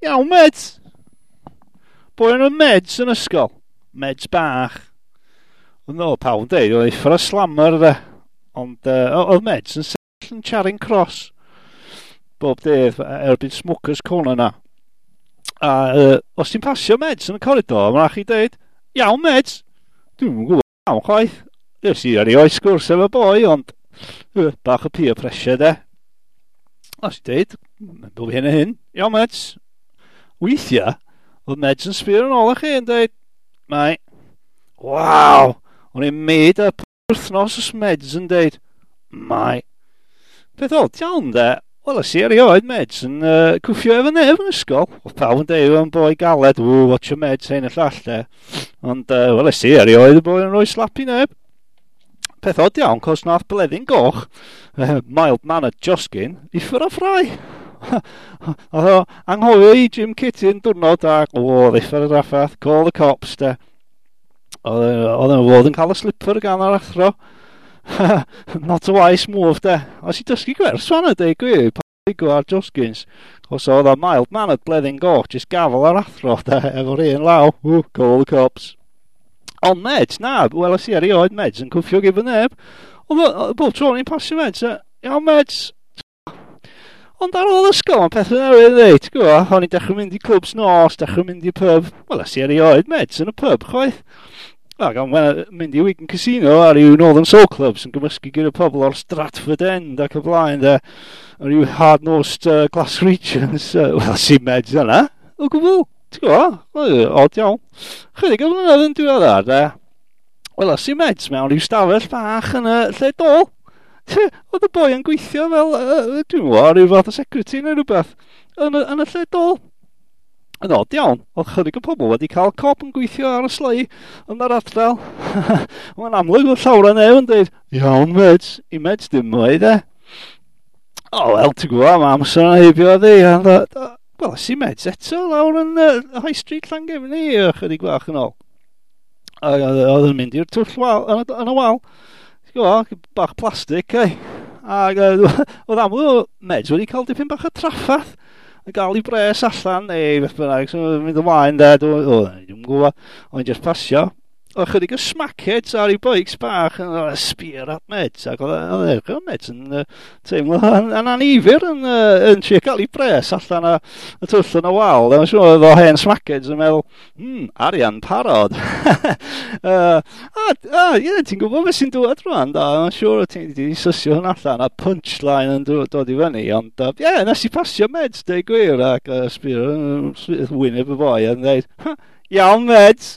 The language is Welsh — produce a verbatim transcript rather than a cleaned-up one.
Iawn, Meds. Boi yn y Meds yn ysgol. Meds bach. Ond no, pawb yn deud, oedd uffar o slammer de. Ond uh, oedd Meds yn sefyll yn Charing Cross bob dydd erbyn Smokers Corner na. A uh, os ti'n pasio Meds yn y corridor, mae'n rhaid chi deud, iawn Meds. Dwi'm yn gwybod iawn chwaith. Nes i erioed sgwrs efo boi, ond uh, bach o peer pressure de. Os ti'n deud, bob hyn a hyn, iawn Meds. Weithiau, oedd Meds yn sbio yn ôl i chi yn dweud, mae, waw, o'n i'n made up wythnos os Meds yn dweud, mae. Peth od iawn de, wel, es i erioed Meds yn uh, cwffio efo neb yn ysgol. Oedd pawb yn deud o'n boi galed, ww, watch your Meds, hyn y llall de. Ond, uh, wel, es i erioed y boi yn rhoi slap i neb. Peth od iawn, cos nath Bleddyn Goch, uh, mild-mannered Josgyn, i ffyr o ffrau. Oedd o anghofio i gym kit un diwrnod ac, o, uffar o draffath, call the cops de. Oedd oedd yn fod yn cael y slipper gan yr athro. Not a wise move de. Os i dysgu gwers fan y deud gwir, pa ar Josgins. Cos oedd o mild-mannered Bleddyn Goch, just gafel ar athro de, efo'r un law. Ww, call the cops. Ond Meds, na, wel i erioed Meds yn cwffio gyda neb. Ond bob tro ni'n pasio Meds, iawn Meds. Ond ar ôl ysgol, mae pethau newydd dweud, ti'n gwybod, o'n i'n dechrau mynd i clwbs nos, dechrau mynd i pub. Wel, es i erioed Meds yn y pub, chwaith. Ac o'n mynd i Wigan Casino ar ryw Northern Soul Clubs yn gymysgu gyda pobl o'r Stratford End ac y blaen, de. A ryw hard-nosed uh, Glaswegians. Uh, Wel, si Meds yna, o gwbl. Ti'n gwybod? Od iawn. Chydig o flynedd yn diweddar, de. Wel, es i Meds mewn rhyw stafell bach yn y lle dôl. Oedd y boi yn gweithio fel, uh, dwi'n gwybod, rhyw fath o secretary neu rhywbeth, yn y, yn y lle dôl. Yn od iawn, oedd chydig o pobl wedi cael cop yn gweithio ar y slei yn yr ardal. Mae'n amlwg oedd llawer o neb yn dweud, iawn Meds, i Meds dim mwy de. O, wel, ti'n gwybod, mae amser yn heibio ddi. Wel, es i Meds eto lawr yn uh, High Street Llangefni, chydig bach yn ôl. Oedd yn mynd i'r twll wal, yn y, yn y wal. Ti'n gwybod, bach plastig, ei. Ac oedd amlwg o Meds wedi cael dipyn bach o traffath yn gael ei bres allan, neu beth bynnag, so mynd ymlaen de, dwi'n gwybod, o'n just pasio. Oedd chydig o smackheads ar ei bikes bach yn sbio at Meds, ac oedd oedd Meds yn uh, teimlo yn, yn anifyr yn, uh, yn trio gael ei bres allan o y twll yn y wal. Dwi'n siŵr oedd o hen smackheads yn meddwl, hmm, arian parod. uh, a, a, ie, ti'n gwybod beth sy'n dod rwan, da, dwi'n siŵr ti'n di sysio hwn allan, a punchline yn dod, dod i fyny, ond, ie, uh, yeah, nes i pasio Meds, deud gwir, ac uh, sbio, uh, wyneb y boi yn dweud, iawn Meds.